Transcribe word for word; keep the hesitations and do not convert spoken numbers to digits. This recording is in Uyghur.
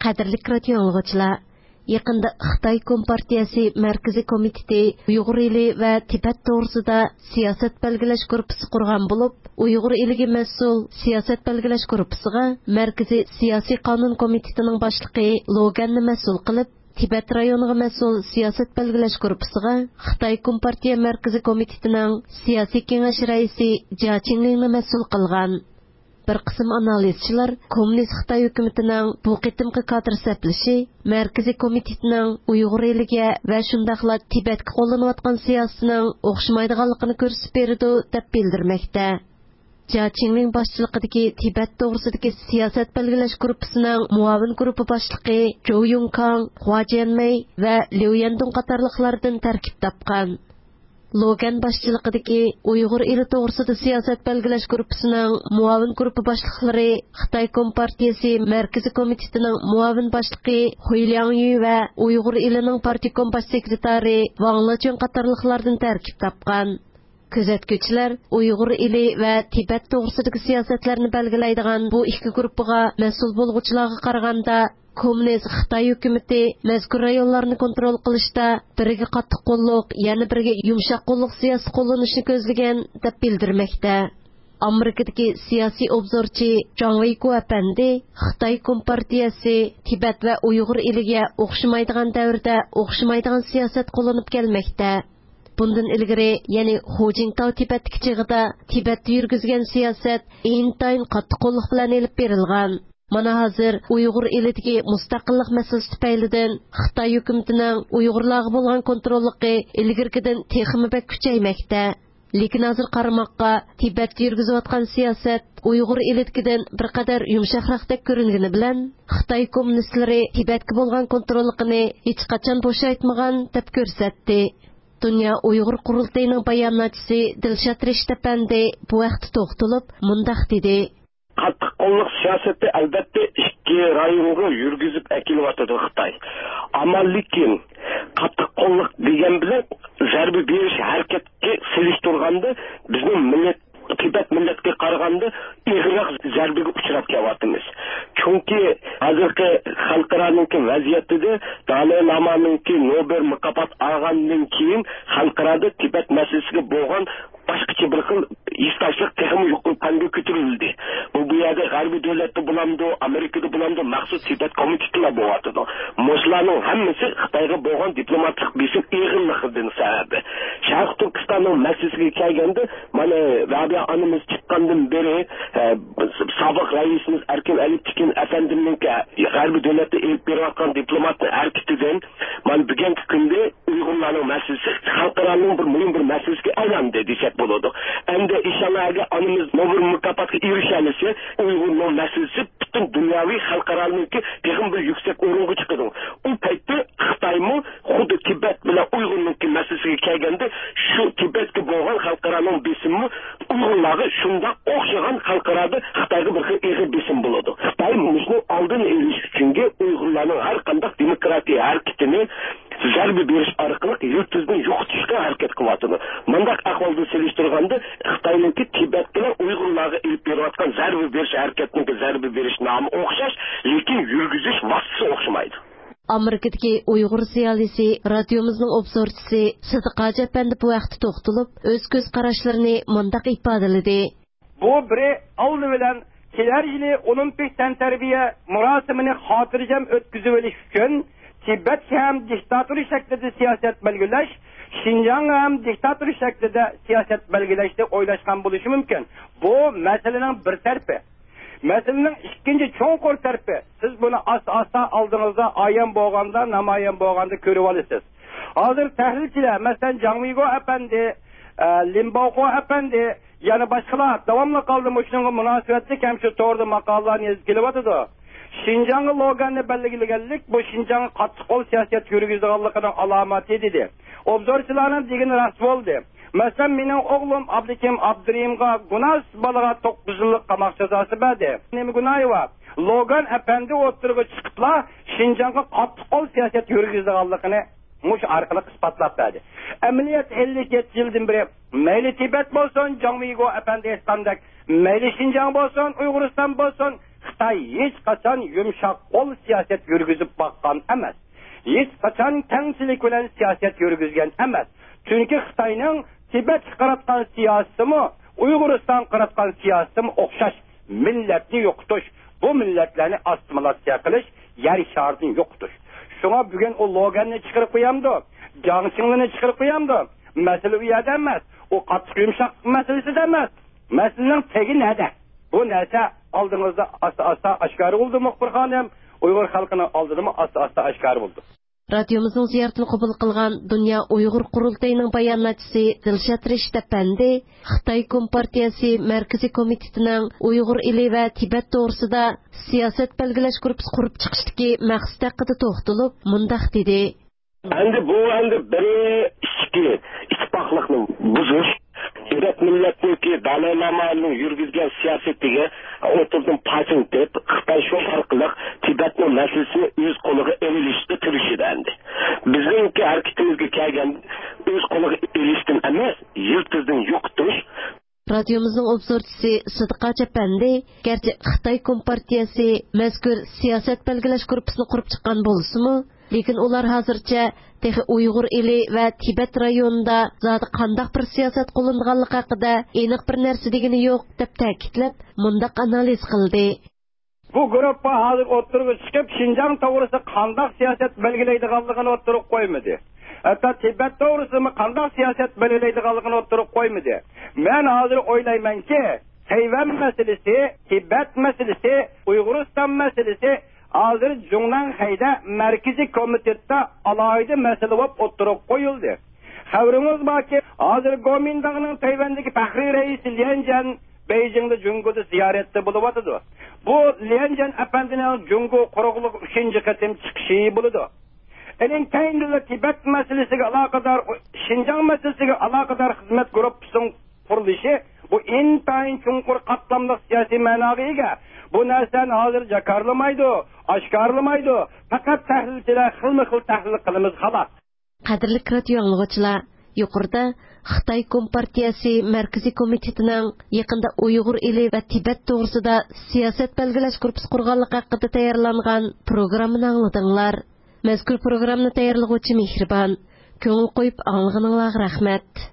قەدىرلىك رادىيو ئاڭلىغۇچىلار، يېقىندا خىتاي كومپارتىيەسى مەركىزىي كومىتېتى ئۇيغۇر ئېلى ۋە تىبەت توغرىسىدا سىياسەت بەلگىلەش گۇرۇپپىسى قۇرغان بولۇپ، ئۇيغۇر ئېلىگە مەسئۇل سىياسەت بەلگىلەش گۇرۇپپىسىغا مەركىزىي سىياسىي قانۇن كومىتېتىنىڭ باشلىقى لوگەننى مەسئۇل قىلىپ، تىبەت رايونىغا مەسئۇل سىياسەت بەلگىلەش گۇرۇپپىسىغا خىتاي كومپارتىيە مەركىزىي كومىتېتىنىڭ سىياسىي كېڭەش رەئىسى جيا چىڭلىڭنى مەسئۇل قىلغان. بىر قىسىم ئانالىزچىلار كوممۇنىست خىتاي ھۆكۈمىتىنىڭ بۇ قېتىمقى كادىر سەپلىشى مەركىزىي كومىتېتنىڭ ئۇيغۇر ئېلىگە ۋە شۇنداقلا تىبەتكە قوللىنىۋاتقان سىياسىتىنىڭ ئوخشىمايدىغانلىقىنى كۆرسىتىپ بېرىدۇ، دەپ بىلدۈرمەكتە. جيا چىڭلىڭ باشچىلىقىدىكى تىبەت توغرىسىدىكى سىياسەت بەلگىلەش گۇرۇپپىسىنىڭ مۇئاۋىن گۇرۇپپا باشلىقى جوۋ يۇڭكاڭ، خۇا جيەنمەي ۋە ليۇ يەندۇڭ قاتارلىقلاردىن تەركىب تاپقان. لوگەن باشچىلىقىدىكى ئۇيغۇر ئېلى توغرىسىدا سىياسەت بەلگىلەش گۇرۇپپىسىنىڭ مۇئاۋىن گۇرۇپپا باشلىقلىرى خىتاي كومپارتىيىسى مەركىزىي كومىتېتىنىڭ مۇئاۋىن باشلىقى خۇي لياڭيۈ ۋە ئۇيغۇر ئېلىنىڭ پارتكوم باش سېكرېتارى ۋاڭ لېچۈن قاتارلىقلاردىن تەركىب تاپقان. كۆزەتكۈچىلەر ئۇيغۇر ئېلى ۋە تىبەت توغرىسىدىكى سىياسەتلەرنى بەلگىلەيدىغان بۇ ئىككى گۇرۇپپىغا مەسئۇل بولغۇچىلارغا قارىغاندا، كوممۇنىست خىتاي ھۆكۈمىتى مەزكۇر رايونلارنى كونترول قىلىشتا بىرىگە قاتتىق قوللۇق، يەنە بىرىگە يۇمشاق قوللۇق سىياسىتى قوللىنىشنى كۆزلىگەن، دەپ بىلدۈرمەكتە. ئامېرىكىدىكى سىياسىي ئوبزورچى جاڭ ۋېيكو ئەپەندى خىتاي كومپارتىيەسى تىبەت ۋە ئۇيغۇر ئېلىگە ئوخشىمايدىغان دەۋردە ئوخشىمايدىغان سىياسەت قوللىنىپ كەلمەكتە. بۇندىن ئىلگىرى، يەنى خۇ جىنتاۋ تىبەتتىكى چېغىدا تىبەتتە يۈرگۈزگەن سىياسەت ئىنتايىن قاتتىق قوللۇق بىلەن ئېلىپ بېرىلغان. مانا ھازىر ئۇيغۇر ئېلىدىكى مۇستەقىللىق مەسىلىسى تۈپەيلىدىن خىتاي ھۆكۈمىتىنىڭ ئۇيغۇرلارغا بولغان كونتروللۇقى ئىلگىرىكىدىن تېخىمۇ بەك كۈچەيمەكتە. لېكىن ھازىر قارىماققا، تىبەتتە يۈرگۈزۈۋاتقان سىياسەت ئۇيغۇر ئېلىدىكىدىن بىر قەدەر يۇمشاقراقتەك كۆرۈنگىنى بىلەن، خىتاي كوممۇنىستلىرى تىبەتكە بولغان كونتروللۇقىنى ھېچقاچان بوشايتمىغان، دەپ كۆرسەتتى. دۇنيا ئۇيغۇر قۇرۇلتىيىنىڭ باياناتچىسى دىلشات رېشىت ئەپەندى بۇ ھەقتە توختىلىپ مۇنداق دېدى. قاتتىق قوللۇق سىياسەتنى، ئەلۋەتتە، ئىككى رايونغا يۈرگۈزۈپ ئەكېلىۋاتىدۇ خىتاي. ئەمما لېكىن قاتتىق قوللۇق دېگەن بىلەن زەربە بېرىش ھەرىكەتكە سېلىشتۇرغاندا، بىزنىڭ مىللەت، تىبەت مىللەتكە قارىغاندا ئېغىرراق زەربىگە ئۇچراپ كېلىۋاتىمىز. چۈنكى ھازىرقى خەلقئارانىڭكى ۋەزىيىتىدە، دالەي لامانىڭكى نوبېل مۇكاپات ئالغاندىن كېيىن، خەلقئارادا تىبەت مەسىلىسىگە بولغان باشقىچە بىر خىل ھېسداشلىق تېخىمۇ يۇقىرى پەنگە كۆتۈرۈلدى. بۇ، بۇ يەردە غەربىي دۆلەتتە بولامدۇ، ئامېرىكىدا بولامدۇ، مەخسۇس تىبەت كومىتېتىلا بولۇۋاتىدۇ. مۇشۇلارنىڭ ھەممىسى خىتايغا بولغان دىپلوماتىك بېسىم ئېغىرلىقىدىن سەۋەبى. شەرقىي تۈركىستاننىڭ مەسىلىسىگە كەلگەندە، مانا، رابىيە ئانىمىز چىققاندىن بېرى، ئە، سابىق رەئىسىمىز ئەركىن ئەلىپ تىكىن ئەپەندىمنىڭكى غەربىي دۆلەتتە ئېلىپ بېرىۋاتقان دىپلوماتنىڭ ھەرىكىتىدىن، مانا، بۈگۈنكى كۈندە ئۇيغۇرلارنىڭ مەسىلىسى خەلقئارانىڭ بىر مۇھىم بىر مەسىلىسىگە ئايلاندى دېسەك بولىدۇ. ئەمدى ئىنشاللا ئەگەر ئانىمىز نوبېل مۇكاپاتىغا ئېرىشەلىسە، ئۇيغۇرنىڭ مەسىلىسى پۈتۈن دۇنياۋى خەلقئارانىڭكى تېخىمۇ بىر يۈكسەك ئورۇنغا چىقىدۇ. ئۇ پەيتتە خىتايمۇ خۇددى تىبەت بىلەن ئۇيغۇرنىڭكى مەسىلىسىگە كەلگەندە، شۇ تىبەتكە بولغان خەلقئارانىڭ بېسىمى ئۇيغۇرلارغا شۇنداق ئوخشىغان خەلقئارادا خىتايغا بىر خىل ئېغىر بېسىم بولىدۇ. خىتاي مۇشۇنىڭ ئالدىنى ئېلىش ئۈچۈنگە ئۇيغۇرلارنىڭ ھەر قانداق دېموكراتىيە ھەرىكىتىنى زەربە بېرىش ئارقىلىق يىلتىزنى يوقىتىشقا ھەرىكەت قىلىۋاتىدۇ. مۇنداق ئەھۋالدا سېلىشتۇرغاندا، خىتاينىڭكى تىبەت بىلەن ئۇيغۇرلارغا ئېلىپ بېرىۋاتقان زەربە بېرىش ھەرىكەتنىڭكى زەربە بېرىش نامى ئوخشاش، لېكىن يۈرگۈزۈش ۋاسىتىسى ئوخشىمايدۇ. ئامېرىكىدىكى ئۇيغۇر زىيالىيسى، رادىيومىزنىڭ ئوبزورچىسى سىدىق ھاجى ئەپەندى بۇ ھەقتە توختىلىپ، ئۆز كۆز قاراشلىرىنى مۇنداق ئىپادىلىدى. بۇ بىرى، ئالدى بىلەن كېلەر يىلى ئولىمپىك تەنتەربىيە مۇراسىمىنى خاتىرجەم ئۆتكۈزۈۋېلىش ئۈچۈن، تىبەتكە ھەم دىكتاتۇرا شەكلىدە سىياسەت بەلگىلەش، شىنجاڭغا ھەم دىكتاتۇرا شەكلىدە سىياسەت بەلگىلەشنى ئويلاشقان بولۇشى مۇمكىن. بۇ مەسىلىنىڭ بىر تەرىپى. مەسىلىنىڭ ئىككىنچى چوڭقۇر تەرىپى، سىز بۇنى ئاستا-ئاستا ئالدىڭىزدا ئايان بولغاندا، نامايان بولغاندا كۆرۈۋالىسىز. ھازىر تەھلىلچىلەر، مەسىلەن، جاڭ ۋېيگو ئەپەندى، ئە، لىن باۋخۇ ئەپەندى، يەنە باشقىلار داۋاملىق ھالدا مۇشۇنىڭغا مۇناسىۋەتلىك ھەم شۇ توردا ماقالىلارنى يېزىپ كېلىۋاتىدۇ. شىنجاڭغا لوگاننى بەلگىلىگەنلىك، بۇ شىنجاڭغا قاتتىق قول سىياسەت يۈرگۈزىدىغانلىقىنىڭ ئالامىتى، دېدى. ئوبزورچىلارنىڭ دېگىنى راست بولدى. مەسىلەن، مېنىڭ ئوغلۇم ئابلىكىم ئابدۇرېھىمغا گۇناھسىز بالىغا توققۇز يىللىق قاماق جازاسى بەردى. نېمە گۇناھى بار؟ لوگان ئەپەندى ئوتتۇرىغا چىقىپلا شىنجاڭغا قاتتىق قول سىياسەت يۈرگۈزىدىغانلىقىنى مۇشۇ ئارقىلىق ئىسپاتلاپ بەردى. ئەمەلىيەتتە ئەللىك يەتتە يىلدىن بېرى مەيلى تىبەت بولسۇن، جاڭ ۋېيگو ئەپەندى ئېيتقاندەك، مەيلى شىنجاڭ بولسۇن، ئۇيغۇرىستان بولسۇن، خىتاي ھېچقاچان يۇمشاق قول سىياسەت يۈرگۈزۈپ باققان ئەمەس. ھېچقاچان كەڭچىلىك بىلەن سىياسەت يۈرگۈزگەن ئەمەس. چۈنكى خىتاينىڭ تىبەتكە قاراتقان سىياسىتىمۇ، ئۇيغۇرىستانغا قاراتقان سىياسىتىمۇ ئوخشاش. مىللەتنى يوقىتىش، بۇ مىللەتلەرنى ئاسسىمىلياتسىيە قىلىش، يەر شارىدىن يوقىتىش. شۇڭا بۈگۈن ئۇ لوگەننى چىقىرىپ قويامدۇ؟ جاڭ چىڭلىنى چىقىرىپ قويامدۇ؟ مەسىلە ئۇ يەردە ئەمەس. ئۇ قاتتىق يۇمشاق مەسىلىسىدە ئەمەس. مەسىلىنىڭ تېگى نەدە؟ بۇ نەرسە ئالدىڭىزدا ئاستا-ئاستا ئاشكارا بولىدۇ، مۇخبىر خانىم. ئۇيغۇر خەلقىنىڭ ئالدىدىمۇ ئاستا-ئاستا ئاشكارا بولىدۇ. رادىيومىزنىڭ زىيارىتىنى قوبۇل قىلغان دۇنيا ئۇيغۇر قۇرۇلتىيىنىڭ باياناتچىسى دىلشات رېشىت ئەپەندى خىتاي كومپارتىيەسى مەركىزىي كومىتېتىنىڭ ئۇيغۇر ئېلى ۋە تىبەت توغرىسىدا سىياسەت بەلگىلەش گۇرۇپپىسى قۇرۇپ چىقىشتىكى مەقسىتى ھەققىدە توختىلىپ، مۇنداق دېدى. ئەمدى بۇ ئەمدى بىر ئىچكى ئىتتىپاقلىقنى بۇزۇش، تىبەت مىللەتنىڭكى دالاي لامانىڭ يۈرگۈزگەن سىياسىتىگە ئوتتۇرىدىن پاچىلىتىپ، خىتاي شۇ ئارقىلىق تىبەتنىڭ مەسىلىسىنى ئۆز قولىغا ئېلىشقا تىرىشىدۇ ئەمدى. بىزنىڭكى ھەرىكىتىمىزگە كەلگەندە ئۆز قولىغا ئېلىشتىن ئەمەس، يىلتىزدىن يوقىتىش. رادىيومىزنىڭ ئوبزورچىسى سىدىق ھاجى ئەپەندى، گەرچە خىتاي كومپارتىيەسى مەزكۇر سىياسەت بەلگىلەش گۇرۇپپىسىنى قۇرۇپ چىققان بولسىمۇ، لېكىن ئۇلار ھازىرچە تېخى ئۇيغۇر ئېلى ۋە تىبەت رايونىدا زادى قانداق بىر سىياسەت قوللىنىدىغانلىقى ھەققىدە ئېنىق بىر نەرسە دېگىنى يوق، دەپ تەكىتلەپ، مۇنداق ئانالىز قىلدى. بۇ گۇرۇپپا ھازىر ئوتتۇرىغا چىقىپ، شىنجاڭ توغرىسىدا قانداق سىياسەت بەلگىلەيدىغانلىقىنى ئوتتۇرىغا قويمىدى. ھەتتا تىبەت توغرىسىدىمۇ قانداق سىياسەت بەلگىلەيدىغانلىقىنى ئوتتۇرىغا قويمىدى. مەن ھازىر ئويلايمەنكى، تەيۋەن مەسىلىسى، تىبەت مەسىلىسى، ئۇيغۇرىستان مەسىلىسى ھازىر جۇڭنەنخەيدە مەركىزىي كومىتېتتا ئالاھىدە مەسىلە بولۇپ ئوتتۇرىغا قويۇلدى. خەۋىرىڭىز باركى، ھازىر گومىنداڭنىڭ تەيۋەندىكى پەخرىي رەئىسى ليەن جيەن بېيجىڭدا جۇڭگودا زىيارەتتە بولۇۋاتىدۇ. بۇ ليەن جيەن ئەپەندىنىڭ جۇڭگو قۇرۇقلۇقى ئۈچىنچى قېتىم چىقىشى بولىدۇ. ئېنىڭ كەينىدىلا تىبەت مەسىلىسىگە ئالاقىدار، شىنجاڭ مەسىلىسىگە ئالاقىدار خىزمەت گۇرۇپپىسىنىڭ قۇرۇلۇشى، بۇ ئىنتايىن چوڭقۇر قاتلاملىق سىياسىي مەناغا ئىگە. بۇ نەرسىنى ھازىر جاكارلىمايدۇ، ئاشكارىلىمايدۇ. پەقەت تەھلىلچىلەر خىلمۇ خىل تەھلىل قىلىمىز، خالاس. قەدىرلىك رادىيو ئاڭلىغۇچىلار، يۇقىرىدا خىتاي كومپارتىيەسى مەركىزىي كومىتېتىنىڭ يېقىندا ئۇيغۇر ئېلى ۋە تىبەت توغرىسىدا سىياسەت بەلگىلەش گۇرۇپپىسى قۇرغانلىقى ھەققىدە تەييارلانغان پروگراممىنى ئاڭلىدىڭلار. مەزكۇر پروگراممىنى تەييارلىغۇچى مېھرىبان. كۆڭۈل قويۇپ ئاڭلىغىنىڭلارغا رەھمەت.